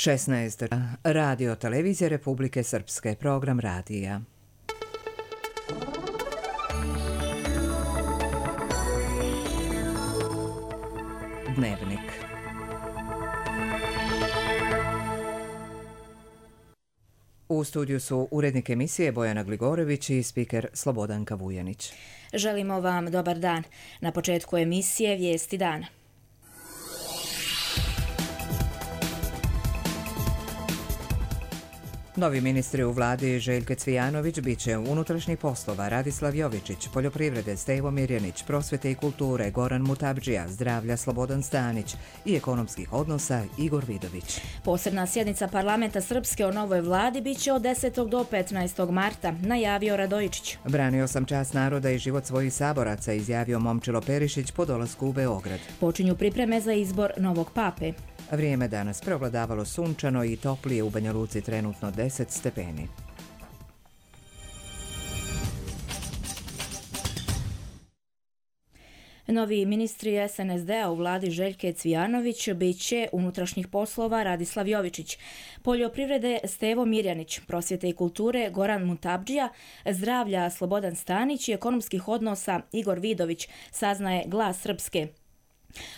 16. Radio televizije Republike Srpske, program radija. Dnevnik. U studiju su urednik emisije Bojana Gligorević i spiker Slobodanka Vujanić. Želimo vam dobar dan. Na početku emisije vijesti dana. Novi ministri u vladi Željko Cvijanović bit će unutrašnjih poslova Radislav Jovičić, poljoprivrede Stevo Mirjanić, prosvete i kulture Goran Mutabdžija, zdravlja Slobodan Stanić i ekonomskih odnosa Igor Vidović. Posebna sjednica parlamenta Srpske o novoj vladi bit će od 10. do 15. marta, najavio Radojičić. Branio sam čast naroda i život svojih saboraca, izjavio Momčilo Perišić po dolasku u Beograd. Počinju pripreme za izbor novog pape. Vrijeme danas preovladavalo sunčano i toplije, u Banja Luci trenutno 10 stepeni. Novi ministri SNSD-a u vladi Željke Cvijanović bit će unutrašnjih poslova Radislav Jovičić, poljoprivrede Stevo Mirjanić, prosvjete i kulture Goran Mutabdžija, zdravlja Slobodan Stanić i ekonomskih odnosa Igor Vidović, saznaje Glas Srpske.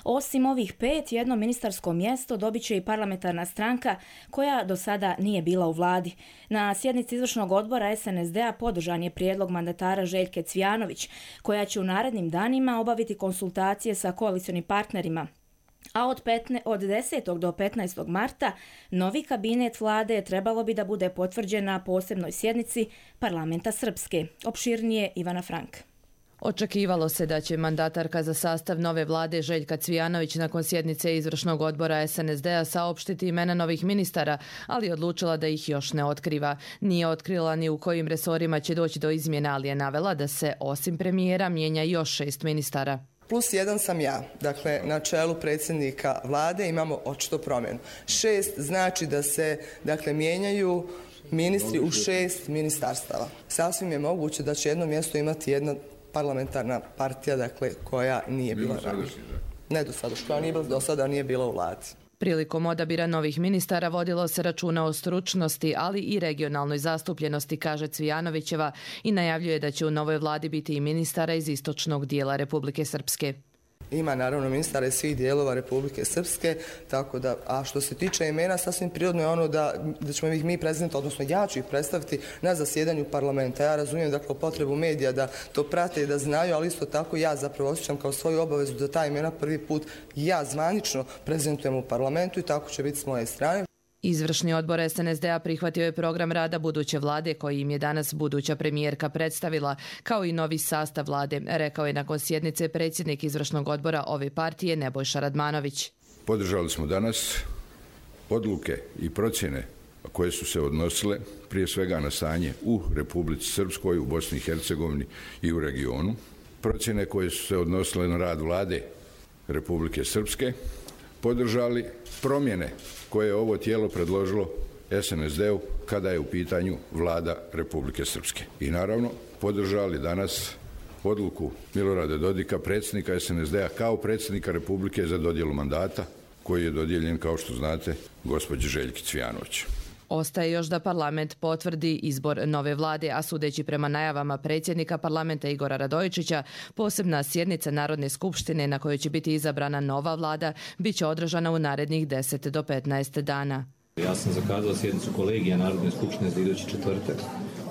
Osim ovih 5, jedno ministarsko mjesto dobit će i parlamentarna stranka koja do sada nije bila u vladi. Na sjednici izvršnog odbora SNSD-a podržan je prijedlog mandatara Željke Cvijanović, koja će u narednim danima obaviti konsultacije sa koalicionim partnerima. A od 10. do 15. marta novi kabinet vlade trebalo bi da bude potvrđen na posebnoj sjednici parlamenta Srpske. Opširnije Ivana Frank. Očekivalo se da će mandatarka za sastav nove vlade Željka Cvijanović nakon sjednice izvršnog odbora SNSD-a saopštiti imena novih ministara, ali odlučila da ih još ne otkriva. Nije otkrila ni u kojim resorima će doći do izmjena, ali je navela da se osim premijera mijenja još 6 ministara. +1 sam ja, dakle na čelu predsjednika vlade imamo očito promjenu. 6 znači da se mijenjaju ministri u 6 ministarstava. Sasvim je moguće da će jedno mjesto imati jedna parlamentarna partija, koja nije bila ranije. Ne do sada, koja nije bila do sada, nije bila u vladi. Prilikom odabira novih ministara vodilo se računa o stručnosti, ali i regionalnoj zastupljenosti, kaže Cvijanovićeva, i najavljuje da će u novoj vladi biti i ministara iz istočnog dijela Republike Srpske. Ima naravno ministara iz svih dijelova Republike Srpske, tako da, a što se tiče imena, sasvim prirodno je ono da ćemo ih mi predstaviti, odnosno ja ću ih predstaviti na zasjedanju parlamenta. Ja razumijem potrebu medija da to prate i da znaju, ali isto tako ja zapravo osjećam kao svoju obavezu da ta imena prvi put ja zvanično prezentujem u parlamentu i tako će biti s moje strane. Izvršni odbor SNSD-a prihvatio je program rada buduće vlade koji im je danas buduća premijerka predstavila, kao i novi sastav vlade, rekao je nakon sjednice predsjednik izvršnog odbora ove partije Nebojša Radmanović. Podržali smo danas odluke i procjene koje su se odnosile prije svega na stanje u Republici Srpskoj, u Bosni i Hercegovini i u regionu. Procjene koje su se odnosile na rad vlade Republike Srpske, podržali promjene koje je ovo tijelo predložilo SNSD-u kada je u pitanju vlada Republike Srpske. I naravno podržali danas odluku Milorada Dodika, predsjednika SNSD-a, kao predsjednika Republike za dodjelu mandata koji je dodijeljen, kao što znate, gospođi Željki Cvijanović. Ostaje još da parlament potvrdi izbor nove vlade, a sudeći prema najavama predsjednika parlamenta Igora Radojičića, posebna sjednica Narodne skupštine na kojoj će biti izabrana nova vlada bit će održana u narednih 10 do 15 dana. Ja sam zakazao sjednicu kolegija Narodne skupštine za idući četvrtak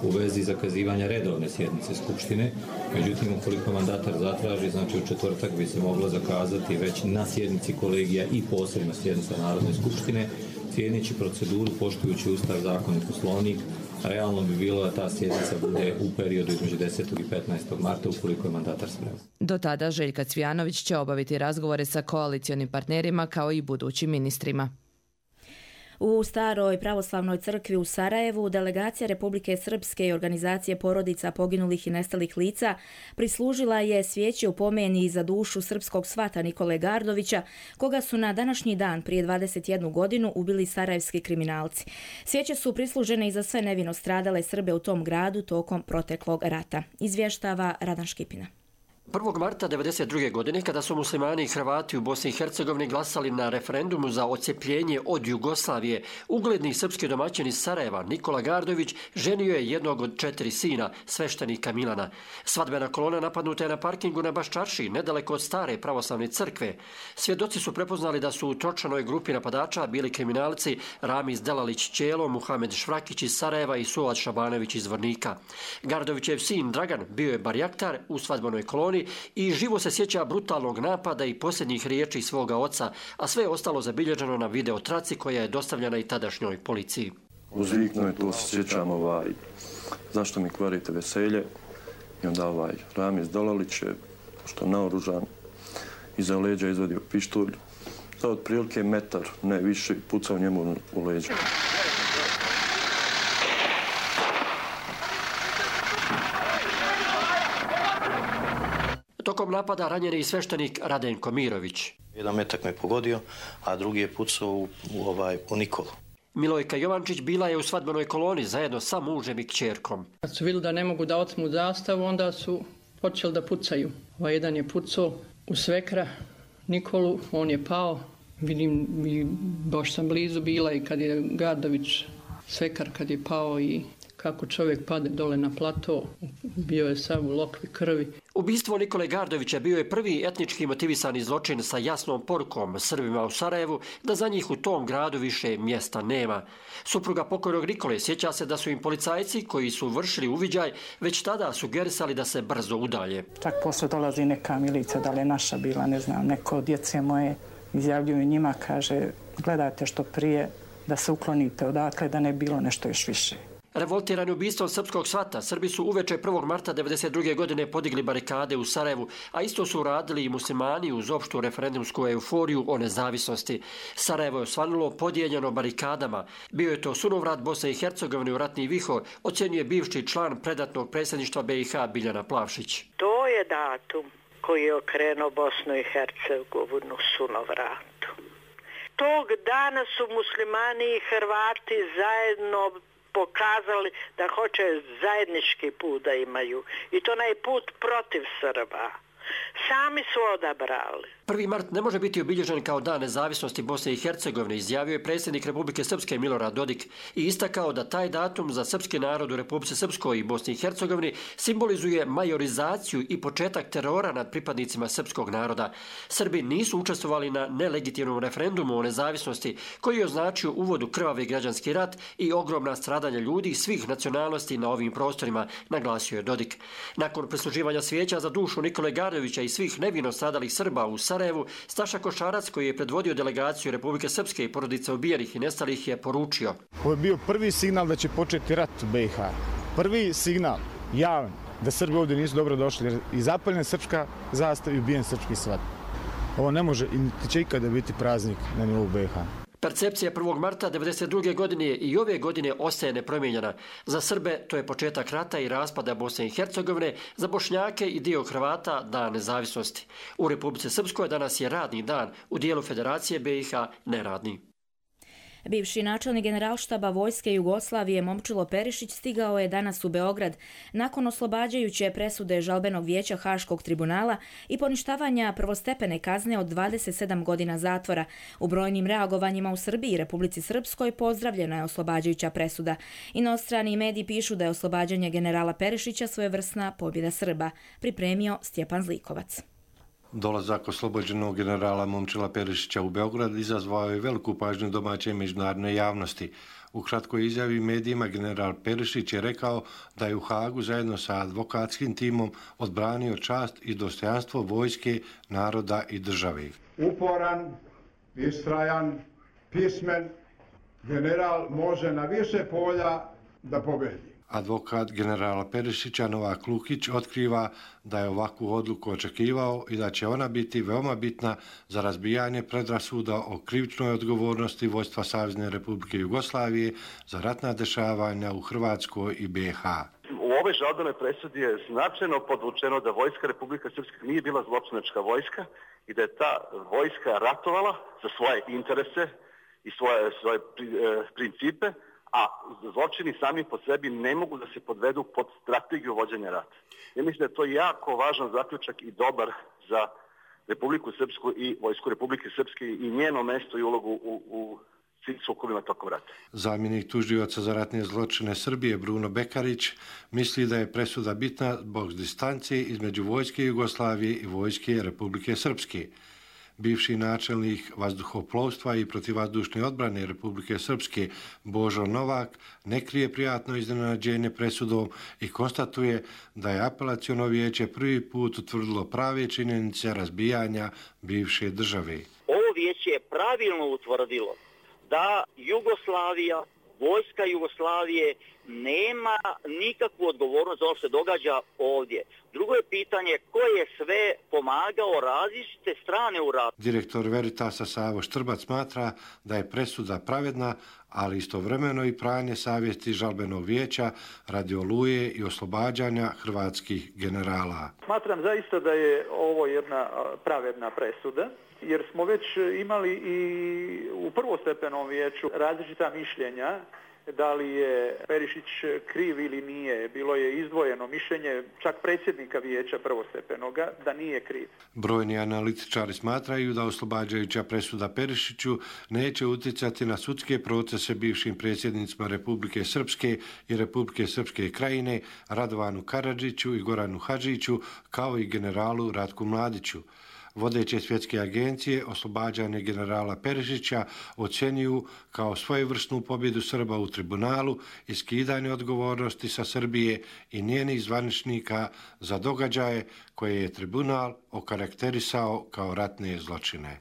u vezi zakazivanja redovne sjednice skupštine. Međutim, ukoliko mandatar zatraži, znači u četvrtak bi se moglo zakazati već na sjednici kolegija i posebna sjednica Narodne skupštine. Cijeneći proceduru, poštujući Ustav, zakon i poslovnik, realno bi bilo da ta sjednica bude u periodu između 10. i 15. marta ukoliko je mandatar spreman. Do tada Željka Cvijanović će obaviti razgovore sa koalicionim partnerima kao i budućim ministrima. U Staroj pravoslavnoj crkvi u Sarajevu delegacija Republike Srpske i organizacije porodica poginulih i nestalih lica prislužila je svijeće u pomeni za dušu srpskog svata Nikole Gardovića, koga su na današnji dan prije 21 godinu ubili sarajevski kriminalci. Svijeće su prislužene i za sve nevino stradale Srbe u tom gradu tokom proteklog rata. Izvještava Radan Škipina. 1. marta 1992. godine, kada su muslimani i Hrvati u Bosni i Hercegovini glasali na referendumu za odcepljenje od Jugoslavije, ugledni srpski domaćin iz Sarajeva, Nikola Gardović, ženio je jednog od 4 sina, sveštenika Milana. Svadbena kolona napadnuta je na parkingu na Baščarši, nedaleko od stare pravoslavne crkve. Svjedoci su prepoznali da su u točanoj grupi napadača bili kriminalci Ramiz Delalić Ćelo, Muhamed Švrakić iz Sarajeva i Suad Šabanović iz Vornika. Gardovićev sin Dragan bio je barjaktar u svadbenoj koloni i živo se sjeća brutalnog napada i posljednjih riječi svoga oca, a sve je ostalo zabilježeno na video traci koja je dostavljena i tadašnjoj policiji. Uzviknuo je, to se sjećam, zašto mi kvarite veselje, i onda Ramiz Delalić je, što naoružan, iza leđa izvadio pištolj, za otprilike metar, ne više, i pucao njemu u leđa. Tokom napada ranjen je i sveštenik Radenko Mirović. Jedan metak me pogodio, a drugi je pucao u Nikolu. Milojka Jovančić bila je u svadbenoj koloni zajedno sa mužem i kćerkom. Kad su vidjeli da ne mogu da otmu zastavu, onda su počeli da pucaju. Jedan je pucao u svekra Nikolu, on je pao. Vidim, baš sam blizu bila i kad je Gardović, svekar, kad je pao i kako čovjek pade dole na plato, bio je sav u lokvi krvi. Ubistvo Nikole Gardovića bio je prvi etnički motivisani zločin sa jasnom porukom Srbima u Sarajevu da za njih u tom gradu više mjesta nema. Supruga pokojnog Nikole sjeća se da su im policajci koji su vršili uviđaj već tada sugerisali da se brzo udalje. Čak posle dolazi neka milica, da li je naša bila, ne znam, neko od djece moje izjavljuju njima, kaže, gledajte što prije da se uklonite odatle, da ne bilo nešto još više. Revoltirani ubistvom srpskog svata, Srbi su uveče 1. marta 1992. godine podigli barikade u Sarajevu, a isto su uradili i muslimani uz opštu referendumsku euforiju o nezavisnosti. Sarajevo je osvanulo podijeljeno barikadama. Bio je to sunovrat Bosne i Hercegovine u ratni vihor, ocjenjuje bivši član predatnog predsjedništva BiH Biljana Plavšić. To je datum koji je okrenuo Bosnu i Hercegovinu sunovratu. Tog dana su muslimani i Hrvati zajedno pokazali da hoće zajednički put da imaju. I to onaj put protiv Srba. Sami su odabrali. 1. mart ne može biti obilježen kao dan nezavisnosti Bosne i Hercegovine, izjavio je predsjednik Republike Srpske Milorad Dodik i istakao da taj datum za srpski narod u Republici Srpskoj i Bosni i Hercegovini simbolizuje majorizaciju i početak terora nad pripadnicima srpskog naroda. Srbi nisu učestvovali na nelegitimnom referendumu o nezavisnosti koji je označio uvod u krvavi građanski rat i ogromna stradanja ljudi svih nacionalnosti na ovim prostorima, naglasio je Dodik. Nakon prisluživanja svijeća za dušu Nikole Gardovića i svih nevino stradalih Srba u Sarajevu, Staša Košarac, koji je predvodio delegaciju Republike Srpske i porodica ubijenih i nestalih, je poručio. Ovo je bio prvi signal da će početi rat u BiH. Prvi signal, javan, da Srbi ovdje nisu dobro došli, jer i zapaljena srpska zastava i ubijen srpski svat. Ovo ne može i niti će ikada biti praznik na nivou BiH. Percepcija 1. marta 1992. godine i ove godine ostaje nepromijenjena. Za Srbe to je početak rata i raspada Bosne i Hercegovine, za Bošnjake i dio Hrvata dan nezavisnosti. U Republici Srpskoj danas je radni dan, u dijelu Federacije BiH neradni. Bivši načelnik generalštaba Vojske Jugoslavije Momčilo Perišić stigao je danas u Beograd nakon oslobađajuće presude žalbenog vijeća Haškog tribunala i poništavanja prvostepene kazne od 27 godina zatvora. U brojnim reagovanjima u Srbiji i Republici Srpskoj pozdravljena je oslobađajuća presuda. Inostrani mediji pišu da je oslobađanje generala Perišića svojevrsna pobjeda Srba, pripremio Stjepan Zlikovac. Dolazak oslobođenog generala Momčila Perišića u Beograd izazvao je veliku pažnju domaće i međunarodne javnosti. U kratkoj izjavi medijima general Perišić je rekao da je u Hagu zajedno sa advokatskim timom odbranio čast i dostojanstvo vojske, naroda i države. Uporan, istrajan, pismen, general može na više polja da pobedi. Advokat generala Perišića Novak Lukić otkriva da je ovakvu odluku očekivao i da će ona biti veoma bitna za razbijanje predrasuda o krivičnoj odgovornosti vojstva Savezne Republike Jugoslavije za ratna dešavanja u Hrvatskoj i BiH. U ovoj žalbenoj presudi je značajno podvučeno da vojska Republike Srpske nije bila zločinačka vojska i da je ta vojska ratovala za svoje interese i svoje principe, a zločini sami po sebi ne mogu da se podvedu pod strategiju vođenja rata. Ja mislim da je to jako važan zaključak i dobar za Republiku Srpsku i Vojsku Republike Srpske i njeno mesto i ulogu u svim sukobima tokom rata. Zamjenik tužioca za ratne zločine Srbije Bruno Bekarić misli da je presuda bitna zbog distancije između Vojske Jugoslavije i Vojske Republike Srpske. Bivši načelnik vazduhoplovstva i protivvazdušne odbrane Republike Srpske Božo Novak ne krije prijatno iznenađenje presudom i konstatuje da je apelaciono vijeće prvi put utvrdilo prave činjenice razbijanja bivše države. Ovo vijeće je pravilno utvrdilo da Jugoslavija, Vojska Jugoslavije nema nikakvu odgovornost za ono što se događa ovdje. Drugo je pitanje ko je sve pomagao različite strane u ratu. Direktor Veritasa Savo Štrbac smatra da je presuda pravedna, ali istovremeno i pranje savjesti žalbenog vijeća radi oluje i oslobađanja hrvatskih generala. Smatram zaista da je ovo jedna pravedna presuda, jer smo već imali i u prvostepenom vijeću različita mišljenja da li je Perišić kriv ili nije. Bilo je izdvojeno mišljenje čak predsjednika vijeća prvostepenoga da nije kriv. Brojni analitičari smatraju da oslobađajuća presuda Perišiću neće utjecati na sudske procese bivšim predsjednicima Republike Srpske i Republike Srpske krajine Radovanu Karadžiću i Goranu Hadžiću kao i generalu Ratku Mladiću. Vodeće svjetske agencije oslobađanje generala Perišića ocjenjuju kao svojevrsnu pobjedu Srba u tribunalu i skidanje odgovornosti sa Srbije i njenih zvaničnika za događaje koje je tribunal okarakterisao kao ratne zločine.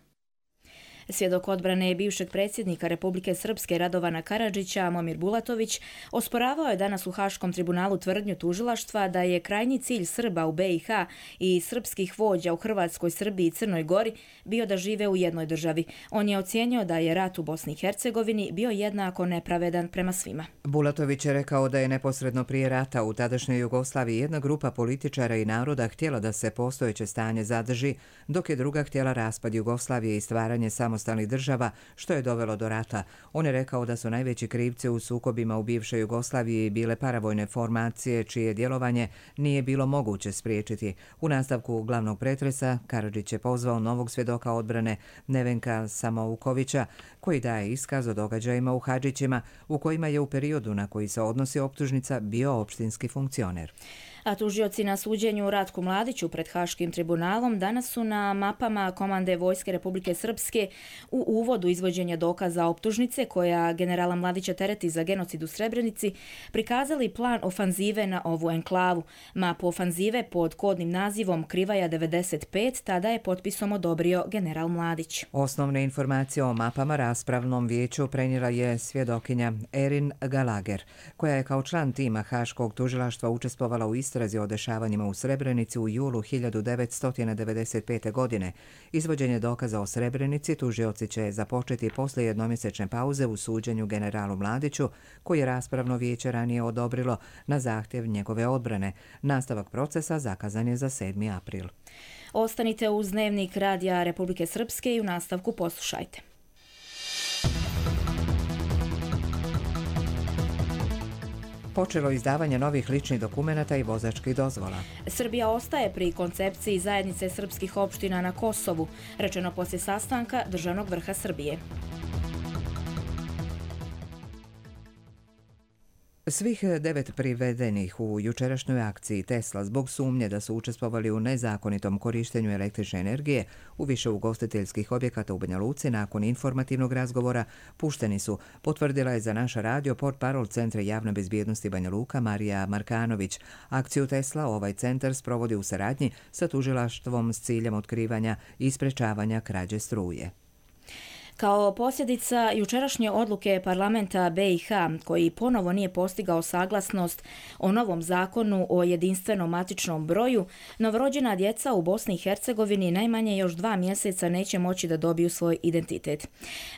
Svjedok odbrane bivšeg predsjednika Republike Srpske Radovana Karadžića, Momir Bulatović, osporavao je danas u Haškom tribunalu tvrdnju tužilaštva da je krajnji cilj Srba u BiH i srpskih vođa u Hrvatskoj, Srbiji i Crnoj Gori bio da žive u jednoj državi. On je ocijenio da je rat u Bosni i Hercegovini bio jednako nepravedan prema svima. Bulatović je rekao da je neposredno prije rata u tadašnjoj Jugoslaviji jedna grupa političara i naroda htjela da se postojeće stanje zadrži, dok je druga htjela raspad Jugoslavije i stvaranje samostalnih država, što je dovelo do rata. On je rekao da su najveći krivci u sukobima u bivšoj Jugoslaviji bile paravojne formacije, čije djelovanje nije bilo moguće spriječiti. U nastavku glavnog pretresa Karadžić je pozvao novog svjedoka odbrane Nevenka Samoukovića, koji daje iskaz o događajima u Hadžićima, u kojima je u periodu na koji se odnosi optužnica bio opštinski funkcioner. A tužioci na suđenju Ratku Mladiću pred Haškim tribunalom danas su na mapama Komande Vojske Republike Srpske u uvodu izvođenja dokaza optužnice koja generala Mladića tereti za genocid u Srebrenici prikazali plan ofanzive na ovu enklavu. Mapu ofanzive pod kodnim nazivom Krivaja 95 tada je potpisom odobrio general Mladić. Osnovne informacije o mapama raspravnom vijeću prenijela je svjedokinja Erin Gallagher, koja je kao član tima Haškog tužilaštva učestvovala u istrazi o dešavanjima u Srebrenici u julu 1995. godine. Izvođenje dokaza o Srebrenici tužioci će započeti poslije jednomjesečne pauze u suđenju generalu Mladiću, koji je raspravno vijeće ranije odobrilo na zahtjev njegove odbrane. Nastavak procesa zakazan je za 7. april. Ostanite uz Dnevnik Radija Republike Srpske i u nastavku poslušajte. Počelo izdavanje novih ličnih dokumenata i vozačkih dozvola. Srbija ostaje pri koncepciji zajednice srpskih opština na Kosovu, rečeno poslije sastanka državnog vrha Srbije. Svih 9 privedenih u jučerašnjoj akciji Tesla zbog sumnje da su učestvovali u nezakonitom korištenju električne energije u više ugostiteljskih objekata u Banja Luci nakon informativnog razgovora pušteni su, potvrdila je za naš radio portparol Centra javne bezbjednosti Banja Luka Marija Markanović. Akciju Tesla ovaj centar sprovodi u saradnji sa tužilaštvom s ciljem otkrivanja i sprečavanja krađe struje. Kao posljedica jučerašnje odluke parlamenta BiH, koji ponovo nije postigao saglasnost o novom zakonu o jedinstvenom matičnom broju, novorođena djeca u Bosni i Hercegovini najmanje još 2 mjeseca neće moći da dobiju svoj identitet.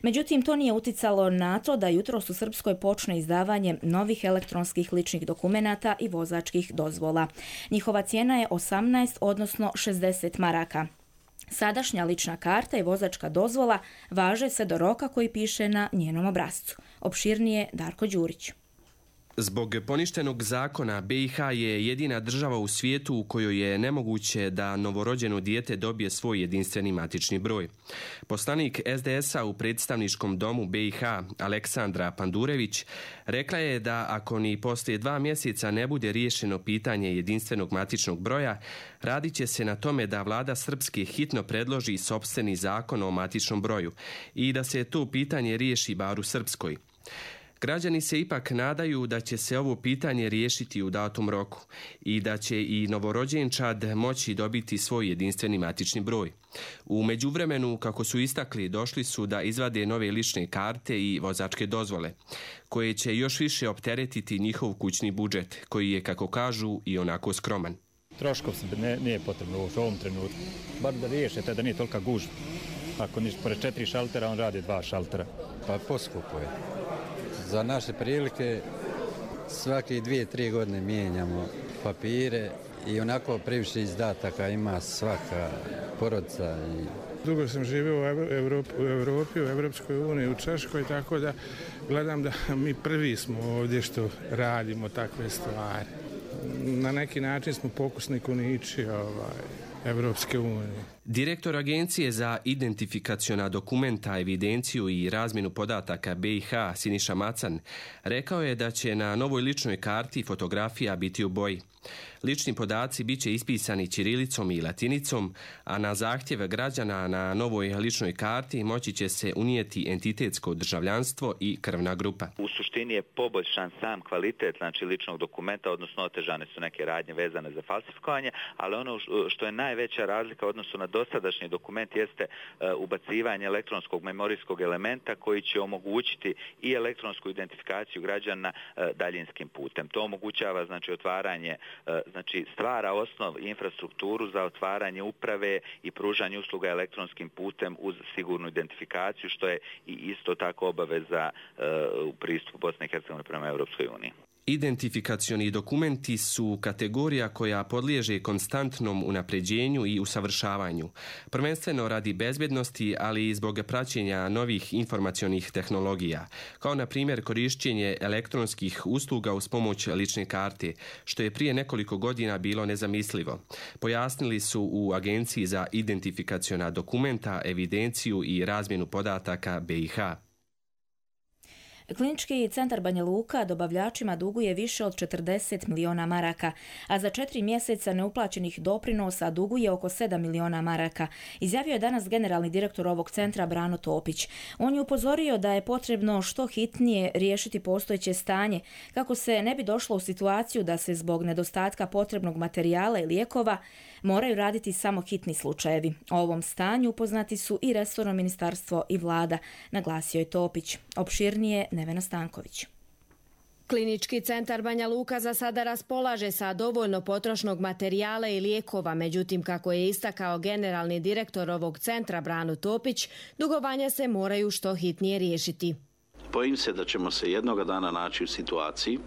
Međutim, to nije uticalo na to da jutros u Srpskoj počne izdavanje novih elektronskih ličnih dokumenata i vozačkih dozvola. Njihova cijena je 18, odnosno 60 maraka. Sadašnja lična karta i vozačka dozvola važe sve do roka koji piše na njenom obrascu. Opširnije Darko Đurić. Zbog poništenog zakona, BiH je jedina država u svijetu u kojoj je nemoguće da novorođeno dijete dobije svoj jedinstveni matični broj. Poslanik SDS-a u predstavničkom domu BiH, Aleksandra Pandurević, rekla je da ako ni poslije 2 mjeseca ne bude riješeno pitanje jedinstvenog matičnog broja, radit će se na tome da vlada Srpske hitno predloži sopstveni zakon o matičnom broju i da se to pitanje riješi bar u Srpskoj. Građani se ipak nadaju da će se ovo pitanje riješiti u datom roku i da će i novorođenčad moći dobiti svoj jedinstveni matični broj. U međuvremenu, kako su istakli, došli su da izvade nove lične karte i vozačke dozvole, koje će još više opteretiti njihov kućni budžet, koji je, kako kažu, i onako skroman. Troškov nije potrebno u ovom trenutku. Bar da riješite da nije tolika gužva. Ako niš pored 4 šaltera, on radi 2 šaltera. Pa poskupo je. Za naše prilike svake 2-3 godine mijenjamo papire i onako previše izdataka ima svaka porodica. Dugo sam živio u Europi, u Evropskoj uniji, u Češkoj, tako da gledam da mi prvi smo ovdje što radimo takve stvari. Na neki način smo pokusni kunići Evropske unije. Direktor Agencije za identifikaciona dokumenta, evidenciju i razmjenu podataka BiH, Siniša Macan, rekao je da će na novoj ličnoj karti fotografija biti u boji. Lični podaci bit će ispisani ćirilicom i latinicom, a na zahtjev građana na novoj ličnoj karti moći će se unijeti entitetsko državljanstvo i krvna grupa. U suštini je poboljšan sam kvalitet ličnog dokumenta, odnosno otežane su neke radnje vezane za falsifikovanje, ali ono što je najveća razlika u odnosu na dosadašnji dokument jeste ubacivanje elektronskog memorijskog elementa koji će omogućiti i elektronsku identifikaciju građana daljinskim putem. To omogućava otvaranje, stvara osnov i infrastrukturu za otvaranje uprave i pružanje usluga elektronskim putem uz sigurnu identifikaciju, što je i isto tako obaveza u pristupu Bosne i Hercegovine prema Europskoj uniji. Identifikacioni dokumenti su kategorija koja podliježe konstantnom unapređenju i usavršavanju, prvenstveno radi bezbednosti, ali i zbog praćenja novih informacionih tehnologija, kao na primjer korišćenje elektronskih usluga uz pomoć lične karte, što je prije nekoliko godina bilo nezamislivo. Pojasnili su u Agenciji za identifikaciona dokumenta, evidenciju i razmjenu podataka BiH. Klinički centar Banja Luka dobavljačima duguje više od 40 miliona maraka, a za 4 mjeseca neuplaćenih doprinosa duguje oko 7 miliona maraka, izjavio je danas generalni direktor ovog centra Brano Topić. On je upozorio da je potrebno što hitnije riješiti postojeće stanje, kako se ne bi došlo u situaciju da se zbog nedostatka potrebnog materijala i lijekova moraju raditi samo hitni slučajevi. O ovom stanju upoznati su i resorno ministarstvo i vlada, naglasio je Topić. Opširnije Nevena Stanković. Klinički centar Banja Luka za sada raspolaže sa dovoljno potrošnog materijala i lijekova, međutim, kako je istakao generalni direktor ovog centra Brano Topić, dugovanja se moraju što hitnije riješiti. Bojim se da ćemo se jednoga dana naći u situaciji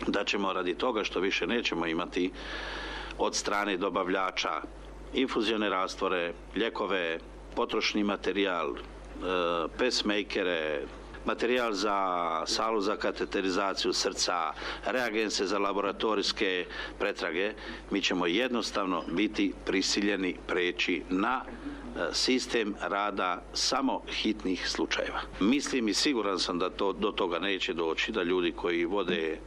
da ćemo radi toga što više nećemo imati od strane dobavljača infuzione rastvore, lijekove, potrošni materijal, pacemakere, materijal za salu za kateterizaciju srca, reagense za laboratorijske pretrage, mi ćemo jednostavno biti prisiljeni preći na sistem rada samo hitnih slučajeva. Mislim i siguran sam da do toga neće doći, da ljudi koji vode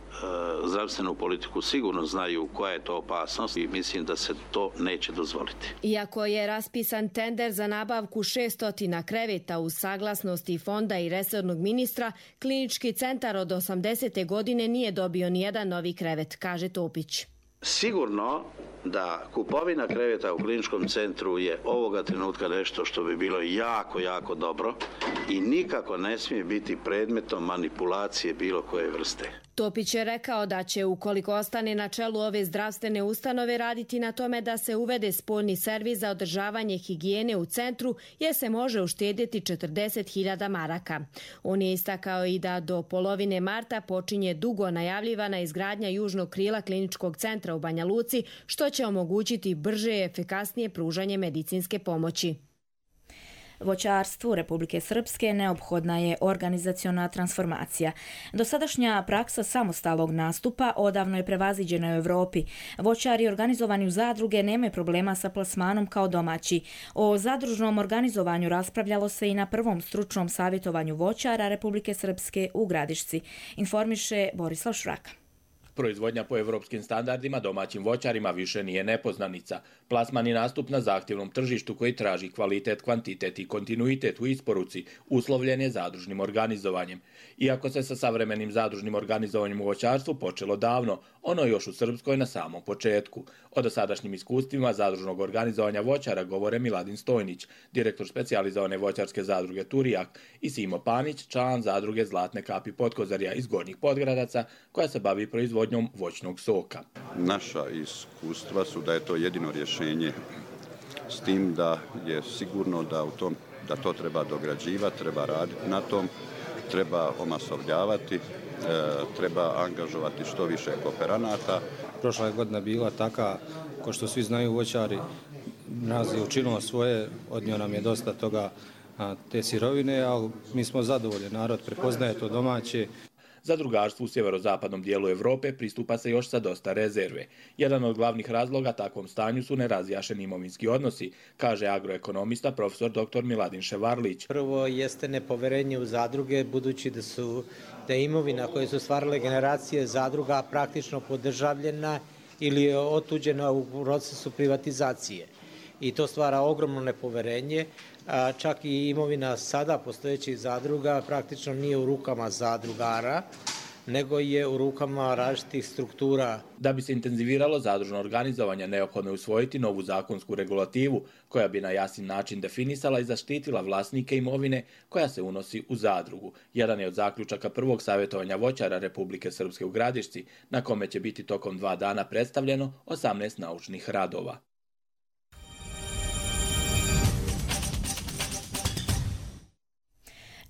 zdravstvenu politiku sigurno znaju koja je to opasnost i mislim da se to neće dozvoliti. Iako je raspisan tender za nabavku 600 kreveta uz saglasnosti fonda i resornog ministra, klinički centar od 80. godine nije dobio nijedan novi krevet, kaže Topić. Sigurno da kupovina kreveta u kliničkom centru je ovoga trenutka nešto što bi bilo jako, jako dobro i nikako ne smije biti predmetom manipulacije bilo koje vrste. Topić je rekao da će, ukoliko ostane na čelu ove zdravstvene ustanove, raditi na tome da se uvede spoljni servis za održavanje higijene u centru, jer se može uštedjeti 40.000 maraka. On je istakao i da do polovine marta počinje dugo najavljivana izgradnja južnog krila kliničkog centra u Banja Luci, što će omogućiti brže i efikasnije pružanje medicinske pomoći. Voćarstvu Republike Srpske neophodna je organizaciona transformacija. Dosadašnja praksa samostalnog nastupa odavno je prevaziđena u Evropi. Voćari organizovani u zadruge nemaju problema sa plasmanom kao domaći. O zadružnom organizovanju raspravljalo se i na prvom stručnom savjetovanju voćara Republike Srpske u Gradišci, informiše Borislav Šraka. Proizvodnja po evropskim standardima domaćim voćarima više nije nepoznanica. Plasman i nastup na zahtjevnom tržištu koji traži kvalitet, kvantitet i kontinuitet u isporuci uslovljen je zadružnim organizovanjem. Iako se sa savremenim zadružnim organizovanjem u voćarstvu počelo davno, ono je još u Srpskoj na samom početku. O dosadašnjim iskustvima zadružnog organizovanja voćara govore Miladin Stojnić, direktor specijalizovane voćarske zadruge Turijak, i Simo Panić, član zadruge Zlatne kapi Potkozarja iz Gornjih Podgradaca, koja se bavi proizvodnjom voćnog soka. Naša iskustva su da je to jedino rješenje, s tim da je sigurno da to treba dograđivati, treba raditi na tom, treba omasovljavati, treba angažovati što više kooperanata. Prošla je godina bila taka, ko što svi znaju voćari, nas je učinilo svoje, odnio nam je dosta toga te sirovine, ali mi smo zadovoljni, narod prepoznaje to domaće. Zadrugarstvu u sjeverozapadnom dijelu Evrope pristupa se još sa dosta rezerve. Jedan od glavnih razloga takvom stanju su nerazjašeni imovinski odnosi, kaže agroekonomista profesor dr. Miladin Ševarlić. Prvo jeste nepoverenje u zadruge, budući da je imovina koje su stvarale generacije zadruga praktično podržavljena ili je otuđena u procesu privatizacije. I to stvara ogromno nepoverenje. Čak i imovina sada postojećih zadruga praktično nije u rukama zadrugara, nego je u rukama različitih struktura. Da bi se intenziviralo zadružno organizovanje, neophodno je usvojiti novu zakonsku regulativu koja bi na jasan način definisala i zaštitila vlasnike imovine koja se unosi u zadrugu. Jedan je od zaključaka prvog savjetovanja voćara Republike Srpske u Gradišci, na kome će biti tokom 2 dana predstavljeno 18 naučnih radova.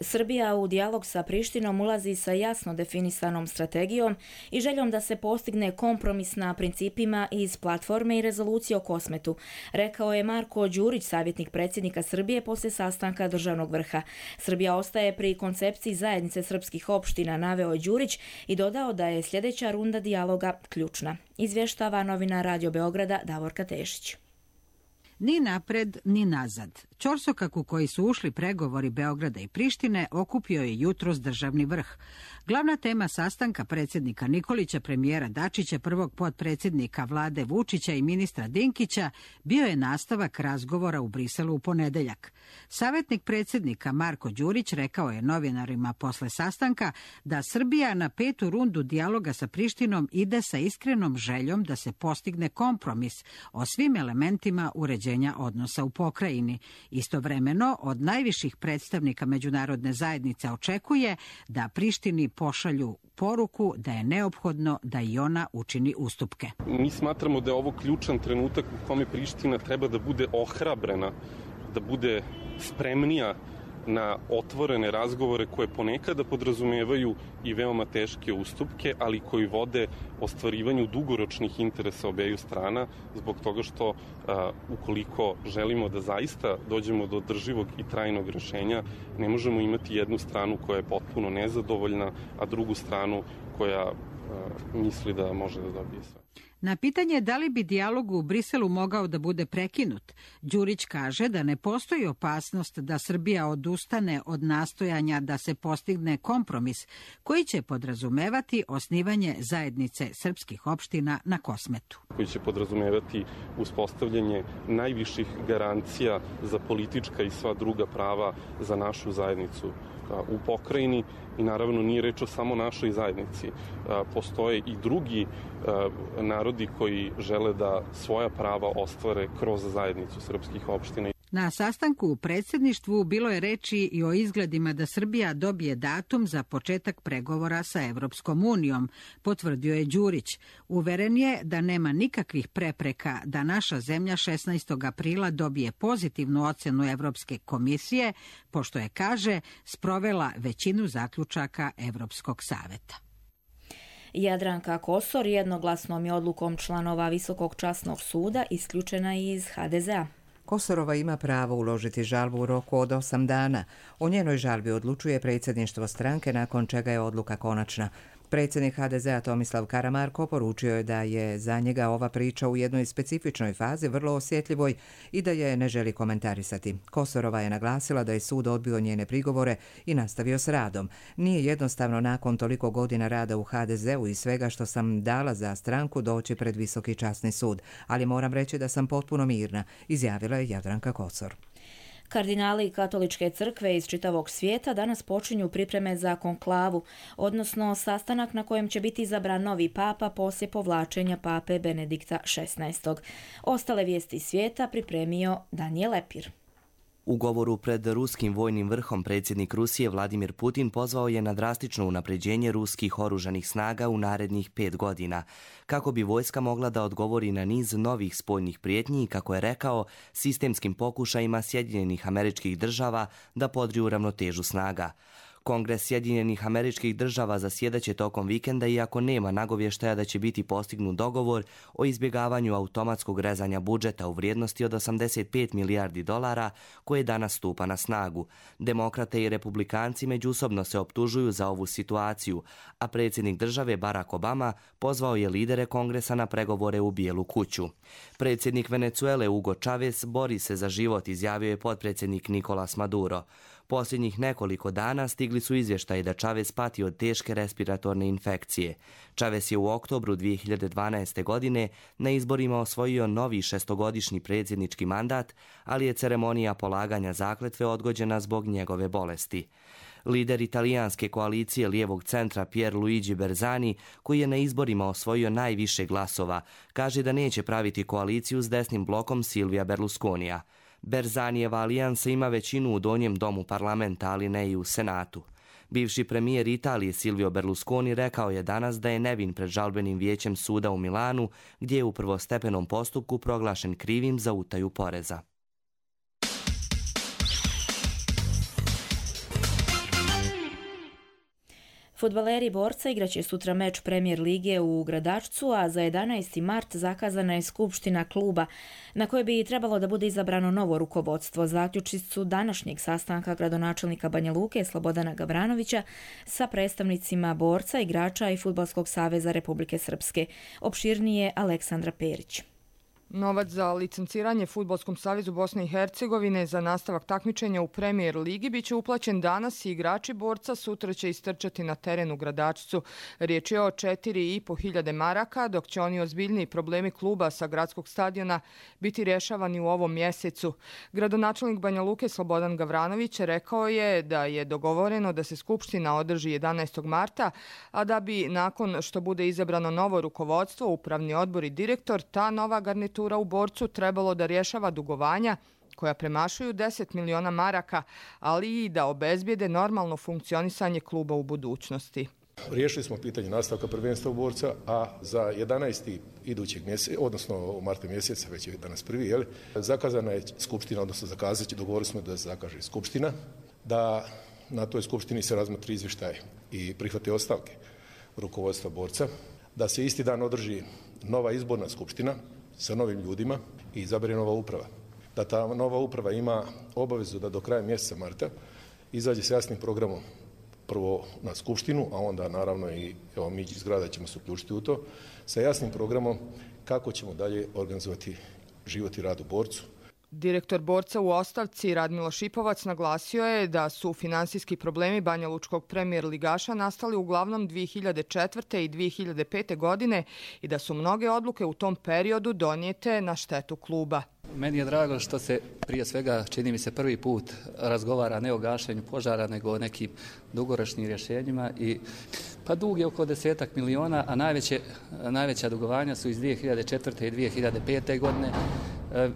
Srbija u dijalog sa Prištinom ulazi sa jasno definisanom strategijom i željom da se postigne kompromis na principima iz platforme i rezolucije o Kosmetu, rekao je Marko Đurić, savjetnik predsjednika Srbije poslije sastanka državnog vrha. Srbija ostaje pri koncepciji zajednice srpskih opština, naveo je Đurić i dodao da je sljedeća runda dijaloga ključna. Izvještava novinar Radio Beograda Davorka Tešić. Ni napred, ni nazad. Ćorsokak u koji su ušli pregovori Beograda i Prištine okupio je jutros državni vrh. Glavna tema sastanka predsjednika Nikolića, premijera Dačića, prvog potpredsjednika vlade Vučića i ministra Dinkića bio je nastavak razgovora u Briselu u ponedeljak. Savjetnik predsjednika Marko Đurić rekao je novinarima posle sastanka da Srbija na 5. rundu dijaloga sa Prištinom ide sa iskrenom željom da se postigne kompromis o svim elementima uređenja odnosa u pokrajini. Istovremeno, od najviših predstavnika međunarodne zajednice očekuje da Prištini pošalju poruku da je neophodno da i ona učini ustupke. Mi smatramo da je ovo ključan trenutak u kome Priština treba da bude ohrabrena, da bude spremnija na otvorene razgovore koje ponekada podrazumevaju i veoma teške ustupke, ali koji vode ostvarivanju dugoročnih interesa obeju strana, zbog toga što ukoliko želimo da zaista dođemo do održivog i trajnog rješenja, ne možemo imati jednu stranu koja je potpuno nezadovoljna, a drugu stranu koja misli da može da dobije sve. Na pitanje da li bi dijalog u Briselu mogao da bude prekinut, Đurić kaže da ne postoji opasnost da Srbija odustane od nastojanja da se postigne kompromis koji će podrazumevati osnivanje zajednice srpskih opština na Kosmetu. Koji će podrazumevati uspostavljanje najviših garancija za politička i sva druga prava za našu zajednicu u pokrajini i naravno nije reč o samo našoj zajednici. Postoje i drugi narodi koji žele da svoja prava ostvare kroz zajednicu srpskih opština. Na sastanku u predsjedništvu bilo je reči i o izgledima da Srbija dobije datum za početak pregovora sa Evropskom unijom, potvrdio je Đurić. Uveren je da nema nikakvih prepreka da naša zemlja 16. aprila dobije pozitivnu ocjenu Evropske komisije, pošto je, kaže, sprovela većinu zaključaka Evropskog saveta. Jadranka Kosor jednoglasnom je odlukom članova Visokog časnog suda isključena iz HDZ-a. Kosorova ima pravo uložiti žalbu u roku od 8 dana. O njenoj žalbi odlučuje predsjedništvo stranke, nakon čega je odluka konačna. Predsjednik HDZ-a Tomislav Karamarko poručio je da je za njega ova priča u jednoj specifičnoj fazi vrlo osjetljivoj i da je ne želi komentarisati. Kosorova je naglasila da je sud odbio njene prigovore i nastavio s radom. Nije jednostavno nakon toliko godina rada u HDZ-u i svega što sam dala za stranku doći pred Visoki časni sud, ali moram reći da sam potpuno mirna, izjavila je Jadranka Kosor. Kardinali Katoličke crkve iz čitavog svijeta danas počinju pripreme za konklavu, odnosno sastanak na kojem će biti izabran novi papa poslije povlačenja pape Benedikta XVI. Ostale vijesti svijeta pripremio Danijel Lepir. U govoru pred ruskim vojnim vrhom predsjednik Rusije Vladimir Putin pozvao je na drastično unapređenje ruskih oružanih snaga u narednih 5 godina, kako bi vojska mogla da odgovori na niz novih spoljnih prijetnji i, kako je rekao, sistemskim pokušajima Sjedinjenih Američkih Država da podriju ravnotežu snaga. Kongres Sjedinjenih Američkih Država zasjedaće tokom vikenda, iako nema nagovještaja da će biti postignut dogovor o izbjegavanju automatskog rezanja budžeta u vrijednosti od $85 milijardi koje danas stupa na snagu. Demokrate i republikanci međusobno se optužuju za ovu situaciju, a predsjednik države Barack Obama pozvao je lidere kongresa na pregovore u Bijelu kuću. Predsjednik Venezuele Hugo Chavez bori se za život, izjavio je potpredsjednik Nicolas Maduro. Posljednjih nekoliko dana stigli su izvještaji da Chavez pati od teške respiratorne infekcije. Chavez je u oktobru 2012. godine na izborima osvojio novi 6-godišnji predsjednički mandat, ali je ceremonija polaganja zakletve odgođena zbog njegove bolesti. Lider italijanske koalicije lijevog centra Pierluigi Bersani, koji je na izborima osvojio najviše glasova, kaže da neće praviti koaliciju s desnim blokom Silvija Berlusconija. Berzanijeva alijansa ima većinu u donjem domu parlamenta, ali ne i u Senatu. Bivši premijer Italije Silvio Berlusconi rekao je danas da je nevin pred žalbenim vijećem suda u Milanu, gdje je u prvostepenom postupku proglašen krivim za utaju poreza. Fudbaleri Borca igraće sutra meč Premier lige u Gradačcu, a za 11. mart zakazana je skupština kluba na kojoj bi trebalo da bude izabrano novo rukovodstvo. Zaključci su današnjeg sastanka gradonačelnika Banja Luke Slobodana Gavranovića sa predstavnicima Borca, igrača i Fudbalskog saveza Republike Srpske. Opširnije Aleksandra Perić. Novac za licenciranje Fudbalskom savezu Bosne i Hercegovine za nastavak takmičenja u Premier ligi biće uplaćen danas i igrači Borca sutra će istrčati na teren u Gradačcu. Riječ je o 4.500 maraka, dok će oni ozbiljniji problemi kluba sa gradskog stadiona biti rješavani u ovom mjesecu. Gradonačelnik Banja Luke Slobodan Gavranović rekao je da je dogovoreno da se skupština održi 11. marta, a da bi nakon što bude izabrano novo rukovodstvo, upravni odbor i direktor, ta nova garnitura u Borcu trebalo da rješava dugovanja koja premašuju 10 miliona maraka, ali i da obezbijede normalno funkcionisanje kluba u budućnosti. Riješili smo pitanje nastavka prvenstva u Borca, a za 11. idućeg mjeseca, odnosno u martu mjeseca, već je danas prvi, zakazana je skupština, odnosno dogovorili smo da se zakaže skupština, da na toj skupštini se razmotri izvještaj i prihvate ostavke rukovodstva Borca, da se isti dan održi nova izborna skupština sa novim ljudima i izabere nova uprava. Da ta nova uprava ima obavezu da do kraja mjeseca marta izađe s jasnim programom, prvo na skupštinu, a onda naravno i mi iz grada ćemo se uključiti u to, sa jasnim programom kako ćemo dalje organizovati život i rad u Borcu. Direktor Borca u ostavci Radmilo Šipovac naglasio je da su finansijski problemi Banja Lučkog premijer ligaša nastali uglavnom 2004. i 2005. godine i da su mnoge odluke u tom periodu donijete na štetu kluba. Meni je drago što se prije svega, čini mi se, prvi put razgovara ne o gašenju požara, nego o nekim dugoročnim rješenjima. Pa dug je oko 10 miliona, a najveća dugovanja su iz 2004. i 2005. godine.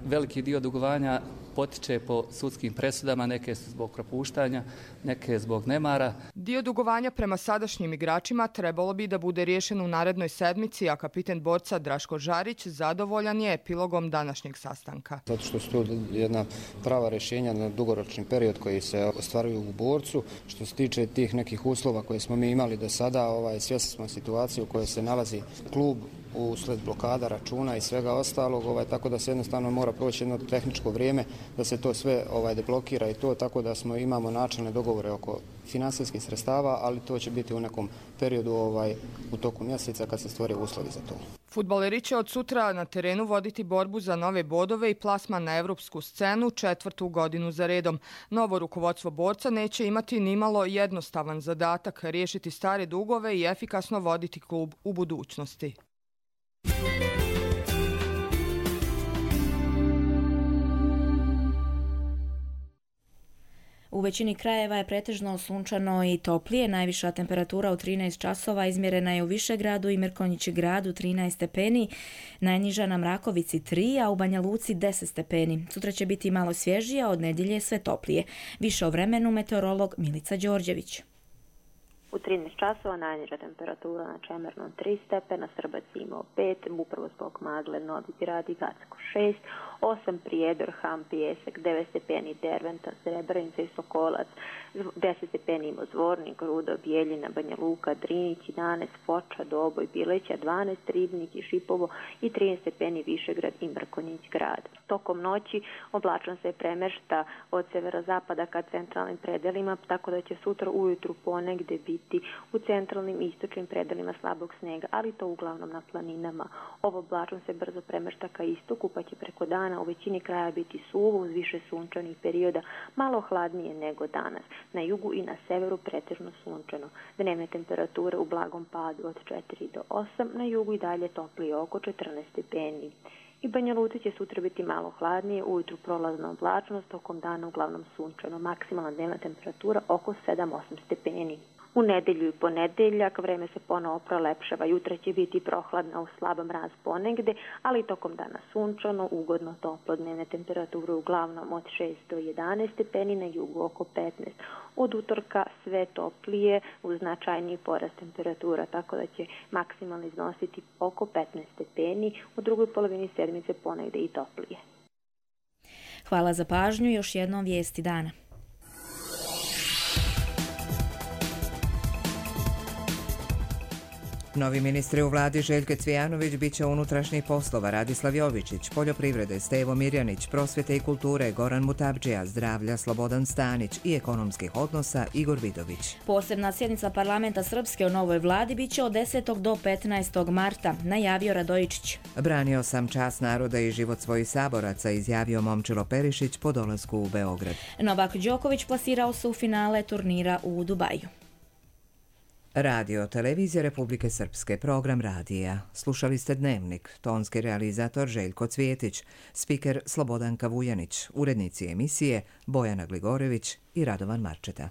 Veliki dio dugovanja potiče po sudskim presudama, neke su zbog propuštanja, neke zbog nemara. Dio dugovanja prema sadašnjim igračima trebalo bi da bude riješen u narednoj sedmici, a kapiten Borca Draško Žarić zadovoljan je epilogom današnjeg sastanka. Zato što su to jedna prava rješenja na dugoročni period koji se ostvaruju u Borcu. Što se tiče tih nekih uslova koje smo mi imali do sada, svjesni smo situacije u kojoj se nalazi klub usled blokada računa i svega ostalog, tako da se jednostavno mora proći jedno tehničko vrijeme da se to sve deblokira i to, tako da imamo načelne dogovore oko financijskih sredstava, ali to će biti u nekom periodu u toku mjeseca kad se stvore uslovi za to. Fudbaleri će od sutra na terenu voditi borbu za nove bodove i plasman na evropsku scenu 4. godinu za redom. Novo rukovodstvo Borca neće imati nimalo jednostavan zadatak riješiti stare dugove i efikasno voditi klub u budućnosti. U većini krajeva je pretežno sunčano i toplije. Najviša temperatura u 13 časova izmjerena je u Višegradu i Mrkonjići gradu 13 stepeni, najniža na Mrakovici 3, a u Banja Luci 10 stepeni. Sutra će biti malo svježije, a od nedjelje sve toplije. Više o vremenu meteorolog Milica Đorđević. U 13 časova najniža temperatura na Čemernom 3 stepena, Srbac imao 5, upravo zbog magle Novi Grad i Gacko 6, 8 Prijedor, Ham, Pijesak, 9 stepeni Derventa, Srebrenica i Sokolac, 10 stepeni imao Zvornik, Rudo, Bijeljina, Banja Luka, Drinić, 11, Foča, Doboj, Bileća, 12, Ribnik i Šipovo i 13 stepeni Višegrad i Mrkonjić grad. Tokom noći oblačnost se premešta od severozapada ka centralnim predelima, tako da će sutra ujutru ponegde biti u centralnim i istočnim predelima slabog snega, ali to uglavnom na planinama. Ovo oblačnost se brzo premešta ka istoku, pa će preko dana u većini kraja biti suvo uz više sunčanih perioda, malo hladnije nego danas. Na jugu i na severu pretežno sunčano. Dnevne temperature u blagom padu od 4 do 8, na jugu i dalje toplije oko 14 stepeni. I Banja Luci će sutra biti malo hladnije, ujutru prolazna oblačnost, tokom dana uglavnom sunčano, maksimalna dnevna temperatura oko 7-8 stepeni. U nedelju i ponedeljak vreme se ponovo prolepšava, jutra će biti prohladna u slab mraz ponegde, ali tokom dana sunčano, ugodno toplo, dnevne temperature uglavnom od 6 do 11 stepeni, na jugu oko 15. Od utorka sve toplije uz značajniji porast temperatura, tako da će maksimalno iznositi oko 15 stepeni, u drugoj polovini sedmice ponegde i toplije. Hvala za pažnju, još jednom vijesti dana. Novi ministri u vladi Željko Cvijanović bit će unutrašnjih poslova Radislav Jovičić, poljoprivrede Stevo Mirjanić, prosvjete i kulture Goran Mutabdžija, zdravlja Slobodan Stanić i ekonomskih odnosa Igor Vidović. Posebna sjednica parlamenta Srpske o novoj vladi bit će od 10. do 15. marta, najavio Radojičić. Branio sam čast naroda i život svojih saboraca, izjavio Momčilo Perišić po dolasku u Beograd. Novak Đoković plasirao se u finale turnira u Dubaju. Radio Televizija Republike Srpske, program radija. Slušali ste Dnevnik, tonski realizator Željko Cvijetić, spiker Slobodanka Vujanić, urednici emisije Bojana Gligorević i Radovan Marčeta.